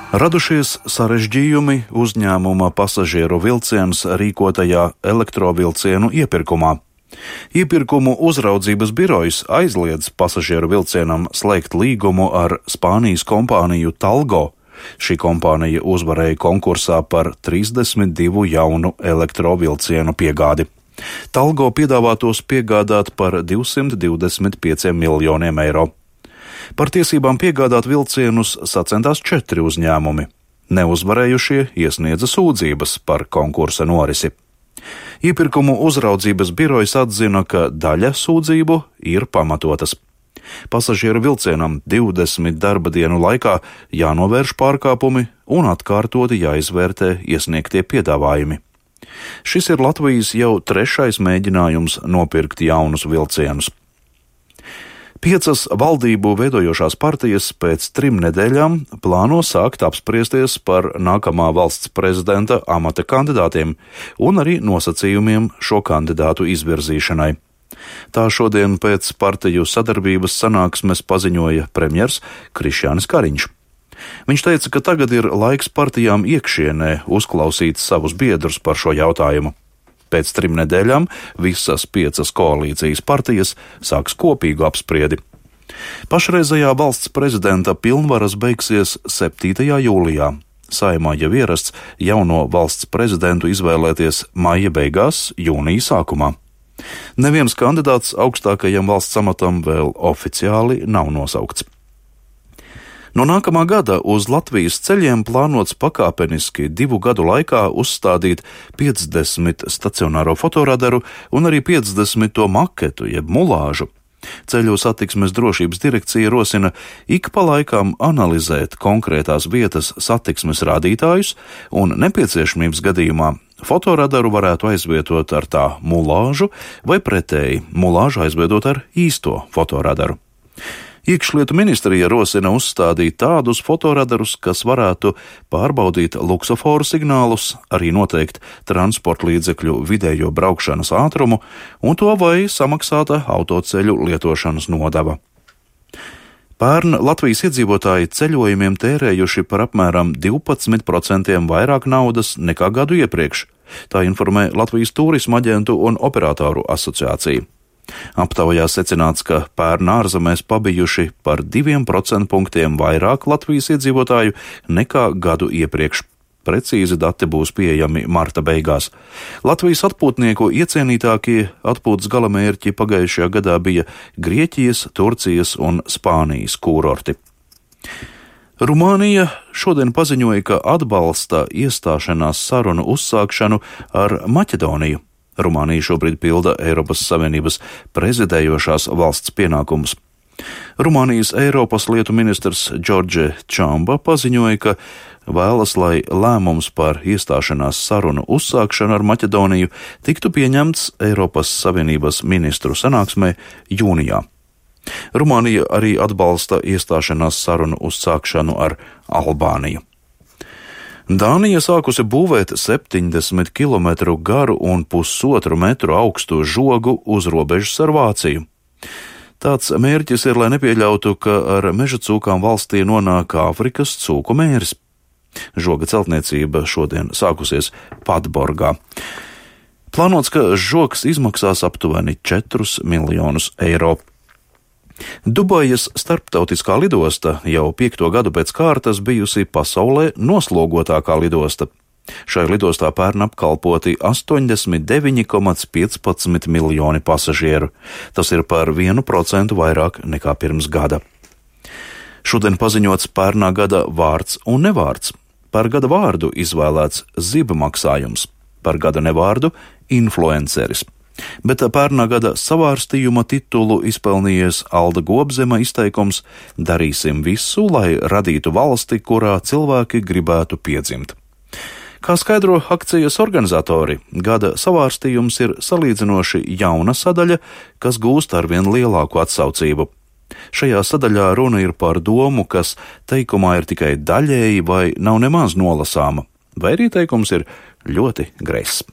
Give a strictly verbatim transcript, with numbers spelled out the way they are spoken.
Radušies sarežģījumi uzņēmuma pasažieru vilciens rīkotajā elektrovilcienu iepirkumā. Iepirkumu uzraudzības birojs aizliedz pasažieru vilcienam slēgt līgumu ar Spānijas kompāniju Talgo. Šī kompānija uzvarēja konkursā par trīsdesmit divu jaunu elektrovilcienu piegādi. Talgo piedāvā tos piegādāt par divsimt divdesmit pieciem miljoniem eiro. Par tiesībām piegādāt vilcienus sacentās četri uzņēmumi. Neuzvarējušie iesniedza sūdzības par konkursa norisi. Iepirkumu uzraudzības birojs atzina, ka daļa sūdzību ir pamatotas. Pasažieru vilcienam divdesmit darba dienu laikā jānovērš pārkāpumi un atkārtoti jāizvērtē iesniegtie piedāvājumi. Šis ir Latvijas jau trešais mēģinājums nopirkt jaunus vilcienus. Piecas valdību veidojošās partijas pēc trim nedēļām plāno sākt apspriesties par nākamā valsts prezidenta amata kandidātiem un arī nosacījumiem šo kandidātu izvirzīšanai. Tā šodien pēc partiju sadarbības sanāksmes paziņoja premjers Krišjānis Kariņš. Viņš teica, ka tagad ir laiks partijām iekšienē uzklausīt savus biedrus par šo jautājumu. Pēc trim nedēļām visas piecas koalīcijas partijas sāks kopīgu apspriedi. Pašreizējā valsts prezidenta pilnvaras beigsies septītajā jūlijā. Saeimā jau ierasts jauno valsts prezidentu izvēlēties maija beigās, jūnija sākumā. Neviens kandidāts augstākajam valsts amatam vēl oficiāli nav nosaukts. No nākamā gada uz Latvijas ceļiem plānots pakāpeniski divu gadu laikā uzstādīt piecdesmit stacionāro fotoradaru un arī piecdesmit maketu jeb mulāžu. Ceļu satiksmes drošības direkcija rosina ik pa laikam analizēt konkrētās vietas satiksmes rādītājus un nepieciešamības gadījumā fotoradaru varētu aizvietot ar tā mulāžu vai pretēji mulāžu aizvietot ar īsto fotoradaru. Iekšlietu ministrija rosina uzstādīt tādus fotoradarus, kas varētu pārbaudīt luksoforu signālus, arī noteikt transporta līdzekļu vidējo braukšanas ātrumu un to vai samaksāta autoceļu lietošanas nodeva. Pērn Latvijas iedzīvotāji ceļojumiem tērējuši par apmēram divpadsmit procentiem vairāk naudas nekā gadu iepriekš, tā informē Latvijas Tūrisma aģentu un operatoru asociācija. Aptaujā secināts, ka pērn ārzemēs pabijuši par diviem procentu punktiem vairāk Latvijas iedzīvotāju nekā gadu iepriekš. Precīzi dati būs pieejami marta beigās. Latvijas atpūtnieku iecienītākie atpūtas galamērķi pagājušajā gadā bija Grieķijas, Turcijas un Spānijas kūrorti. Rumānija šodien paziņoja, ka atbalsta iestāšanās sarunu uzsākšanu ar Maķedoniju. Rumānija šobrīd pilda Eiropas Savienības prezidējošās valsts pienākumus. Rumānijas Eiropas lietu ministrs Džordže Čamba paziņoja, ka vēlas, lai lēmums par iestāšanās sarunu uzsākšanu ar Maķedoniju tiktu pieņemts Eiropas Savienības ministru sanāksmē jūnijā. Rumānija arī atbalsta iestāšanās sarunu uzsākšanu ar Albāniju. Dānija sākusi būvēt septiņdesmit kilometru garu un pusotru metru augstu žogu uz robežas ar Vāciju. Tāds mērķis ir, lai nepieļautu, ka ar meža cūkām valstī nonāk Āfrikas cūku mēris. Žoga celtniecība šodien sākusies Padborgā. Plānots, ka žogs izmaksās aptuveni četrus miljonus eiro. Dubajas starptautiskā lidosta jau piekto gadu pēc kārtas bijusi pasaulē noslogotākā lidosta. Šai lidostā pērn apkalpoti astoņdesmit deviņi komats piecpadsmit miljoni pasažieru. Tas ir par vienu procentu vairāk nekā pirms gada. Šodien paziņots pērnā gada vārds un nevārds. Par gada vārdu izvēlēts ziba maksājums, par gada nevārdu influenceris. Bet pērnā gada savārstījuma titulu izpelnījies Alda Gobzema izteikums "Darīsim visu, lai radītu valsti, kurā cilvēki gribētu piedzimt". Kā skaidro akcijas organizatori, gada savārstījums ir salīdzinoši jauna sadaļa, kas gūst arvien lielāku atsaucību. Šajā sadaļā runa ir par domu, kas teikumā ir tikai daļēji vai nav nemaz nolasāma, vai arī teikums ir ļoti greizs.